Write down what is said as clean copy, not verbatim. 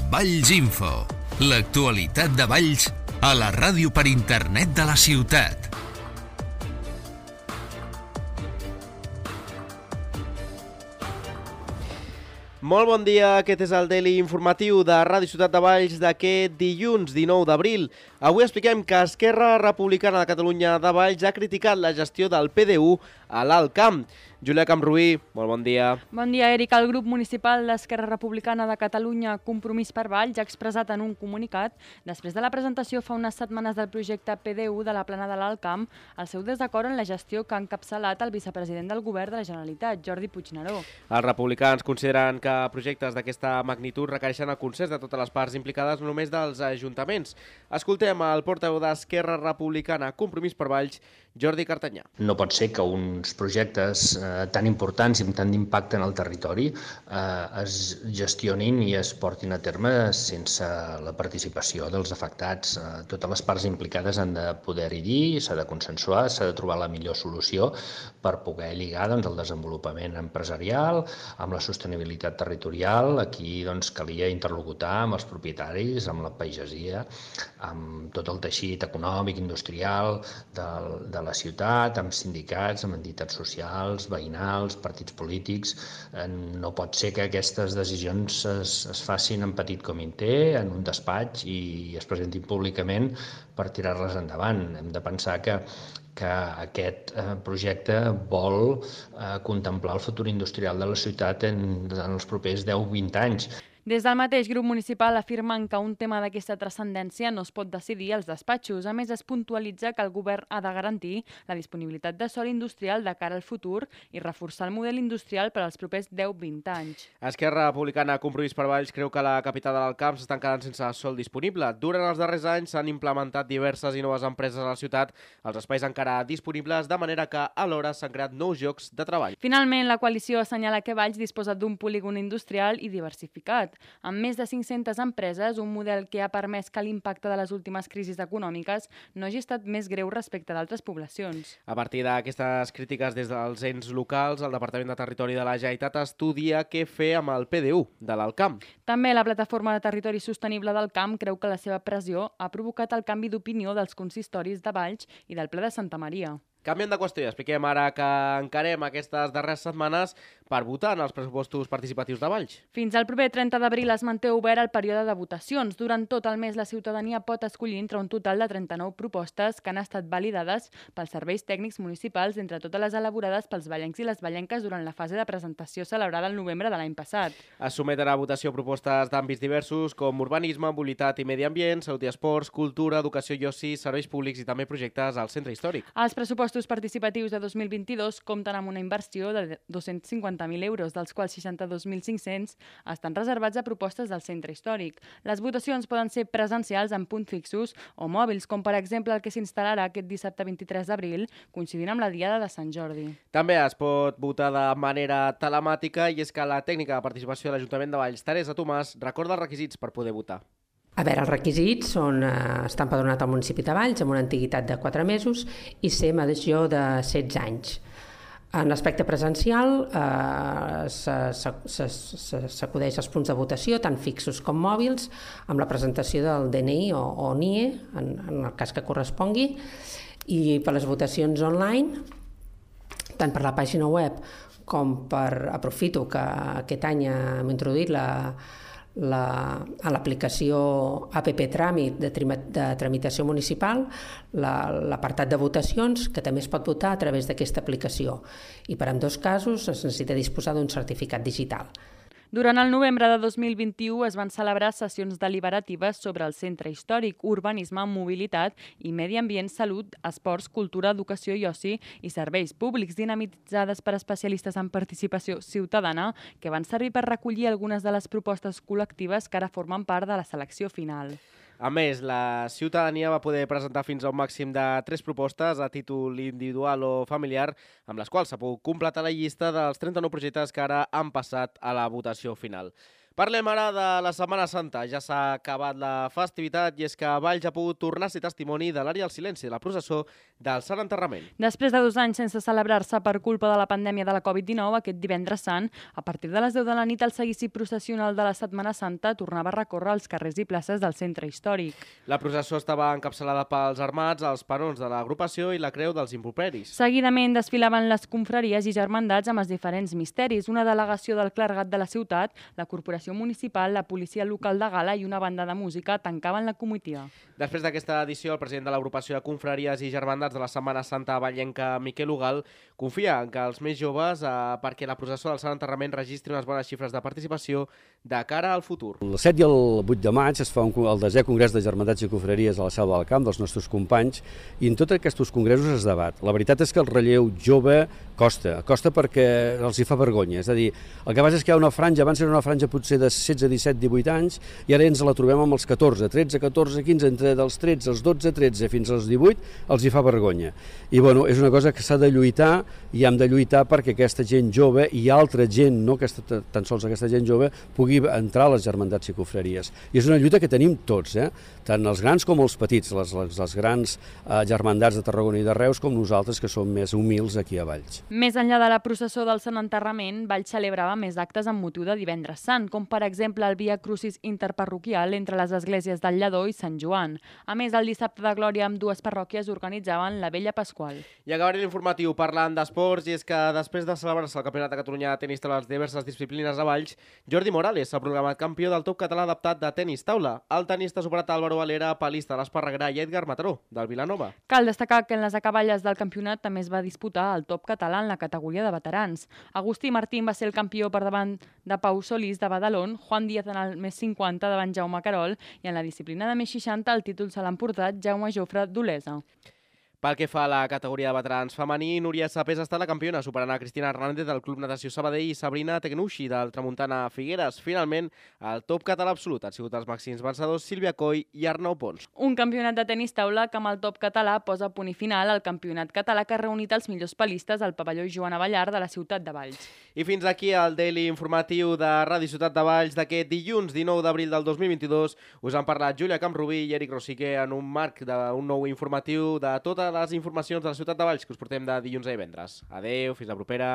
Valls Info, l'actualitat de Valls a la ràdio per internet de la ciutat. Molt bon dia, aquest és el Daily Informatiu de Ràdio Ciutat de Valls d'aquest dilluns 19 d'abril. Avui expliquem que Esquerra Republicana de Catalunya de Valls ha criticat la gestió del PDU a l'Alt Camp. Júlia Camruí, molt bon dia. Bon dia, Eric. El grup municipal d'Esquerra Republicana de Catalunya, Compromís per Valls, ha expressat en un comunicat, després de la presentació fa unes setmanes del projecte PDU de la plana de l'Alt Camp, el seu desacord en la gestió que ha encapçalat el vicepresident del govern de la Generalitat, Jordi Puigneró. Els republicans consideren que projectes d'aquesta magnitud requereixen el consens de totes les parts implicades, no només dels ajuntaments. Escoltem el portaveu d'Esquerra Republicana, Compromís per Valls, Jordi Cartanyà. No pot ser que uns projectes tan importants i amb tant d'impacte en el territori es gestionin i es portin a terme sense la participació dels afectats. Totes les parts implicades han de poder-hi dir, s'ha de consensuar, s'ha de trobar la millor solució per poder lligar el desenvolupament empresarial amb la sostenibilitat territorial. Aquí calia interlocutar amb els propietaris, amb la pagesia, amb tot el teixit econòmic, industrial de la ciutat, amb sindicats, amb entitats socials, veïnals, partits polítics. No pot ser que aquestes decisions es facin en petit comitè, en un despatx i es presentin públicament per tirar-les endavant. Hem de pensar que aquest projecte vol contemplar el futur industrial de la ciutat en els propers 10-20 anys. Des del mateix grup municipal afirmen que un tema d'aquesta transcendència no es pot decidir als despatxos. A més, es puntualitza que el govern ha de garantir la disponibilitat de sòl industrial de cara al futur i reforçar el model industrial per als propers 10-20 anys. Esquerra Republicana Compromís per Valls creu que la capital de l'Alt Camp s'estan quedant sense sòl disponible. Durant els darrers anys s'han implementat diverses i noves empreses a la ciutat, els espais encara disponibles, de manera que alhora s'han creat nous llocs de treball. Finalment, la coalició assenyala que Valls disposa d'un polígon industrial i diversificat. Amb més de 500 empreses, un model que ha permès que l'impacte de les últimes crisis econòmiques no hagi estat més greu respecte d'altres poblacions. A partir d'aquestes crítiques des dels ens locals, el Departament de Territori de la Generalitat estudia què fer amb el PDU de l'Alt Camp. També la Plataforma de Territori Sostenible del Camp creu que la seva pressió ha provocat el canvi d'opinió dels consistoris de Valls i del ple de Santa Maria. Canviem de qüestió i expliquem ara que encarem aquestes darreres setmanes per votar en els pressupostos participatius de Valls. Fins al proper 30 d'abril es manté obert el període de votacions. Durant tot el mes la ciutadania pot escollir entre un total de 39 propostes que han estat validades pels serveis tècnics municipals, entre totes les elaborades pels vallencs i les vallenques durant la fase de presentació celebrada el novembre de l'any passat. Es someten a votació propostes d'àmbits diversos com urbanisme, mobilitat i medi ambient, salut i esports, cultura, educació i oci, serveis públics i també projectes al centre històric. Els pressupostos participatius de 2022 compten amb una inversió de 250.000 euros, dels quals 62.500 estan reservats a propostes del centre històric. Les votacions poden ser presencials en punts fixos o mòbils, com per exemple el que s'instal·larà aquest dissabte 23 d'abril, coincidint amb la Diada de Sant Jordi. També es pot votar de manera telemàtica i és que la tècnica de participació de l'Ajuntament de Valls, Teresa Tomàs, recorda els requisits per poder votar. A veure, els requisits són estar empadronat al municipi de Valls amb una antiguitat de 4 mesos i ser major de 16 anys. En l'aspecte presencial s'acudeix als punts de votació, tant fixos com mòbils, amb la presentació del DNI o NIE, en el cas que correspongui, i per les votacions online, tant per la pàgina web com aprofito que aquest any hem introduït a l'aplicació APP Tràmit de tramitació municipal, l'apartat de votacions, que també es pot votar a través d'aquesta aplicació. I per ambdós casos es necessita disposar d'un certificat digital. Durant el novembre de 2021 es van celebrar sessions deliberatives sobre el centre històric, urbanisme, mobilitat i medi ambient, salut, esports, cultura, educació i oci i serveis públics, dinamitzades per especialistes en participació ciutadana que van servir per recollir algunes de les propostes col·lectives que ara formen part de la selecció final. A més, la ciutadania va poder presentar fins a un màxim de 3 propostes a títol individual o familiar, amb les quals s'ha pogut completar la llista dels 39 projectes que ara han passat a la votació final. Parlem ara de la Setmana Santa. Ja s'ha acabat la festivitat i és que Valls ha pogut tornar a ser testimoni de l'Ària del Silenci, de la processó del Sant Enterrament. Després de 2 anys sense celebrar-se per culpa de la pandèmia de la Covid-19, aquest divendres sant, a partir de les 10 de la nit, el seguici processional de la Setmana Santa tornava a recórrer els carrers i places del centre històric. La processó estava encapçalada pels armats, els penons de l'agrupació i la creu dels improperis. Seguidament desfilaven les confraries i germandats amb els diferents misteris, una delegació del clergat de la ciutat, la corporació municipal, la policia local de Gala i una banda de música tancaven la comitiva. Després d'aquesta edició, el president de l'agrupació de confraries i germandats de la Setmana Santa vallenca, Miquel Ugal, confia en que els més joves, perquè la processó del Sant Enterrament registri unes bones xifres de participació de cara al futur. El 7 i el 8 de maig es fa el 10è Congrés de Germandats i Confraries a la Selva del Camp dels nostres companys i en tots aquests congressos es debat. La veritat és que el relleu jove costa perquè els hi fa vergonya. És a dir, el que passa és que hi ha una franja, abans era una franja potser de 16, 17, 18 anys i ara ens la trobem amb els 14, 13, 14, 15, entre dels 13, els 12, 13 fins als 18 els hi fa vergonya. I bueno, és una cosa que s'ha de lluitar i hem de lluitar perquè aquesta gent jove i altra gent, no tan sols aquesta gent jove, pugui entrar a les germandats i confraries. I és una lluita que tenim tots, tant els grans com els petits, les grans germandats de Tarragona i de Reus com nosaltres que som més humils aquí a Valls. Més enllà de la processó del Sant Enterrament, Valls celebrava més actes amb motiu de Divendres Sant, com per exemple el Via Crucis interparroquial entre les esglésies del Lledó i Sant Joan. A més, el dissabte de Glòria amb 2 parròquies organitzaven la Vella Pasqual. I acabaré l'informatiu parlant d'esports, i és que després de celebrar-se el Campionat de Catalunya de tenis taula a les diverses disciplines a Valls, Jordi Morales s'ha proclamat campió del top català adaptat de tenis taula. El tenista ha superat Álvaro Valera, Palista de l'Esparreguera i Edgar Mataró, del Vilanova. Cal destacar que en les acaballes del campionat també es va disputar el top català en la categoria de veterans. Agustí Martín va ser el campió per davant de Pau Solís de Badalón, Juan Díaz en el més 50 davant Jaume Carol i en la disciplina de més 60 el títol se l'ha emportat Jaume Jofre d'Olesa. Pel que fa a la categoria de veterans femení, Núria Sapés ha estat la campiona, superant a Cristina Hernández del Club Natació Sabadell i Sabrina Tecnucci del Tramuntana Figueres. Finalment, el top català absolut han sigut els màxims vencedors Sílvia Coll i Arnau Pons. Un campionat de tenis taula que amb el top català posa punt i final al campionat català que ha reunit els millors palistes al pavelló Joana Ballar de la ciutat de Valls. I fins aquí el Daily informatiu de Ràdio Ciutat de Valls d'aquest dilluns 19 d'abril del 2022. Us han parlat Júlia Camprubí i Eric Rosique en un marc d'un nou informatiu de totes les informacions de la ciutat de Valls que us portem de dilluns a divendres. Adeu, fins la propera.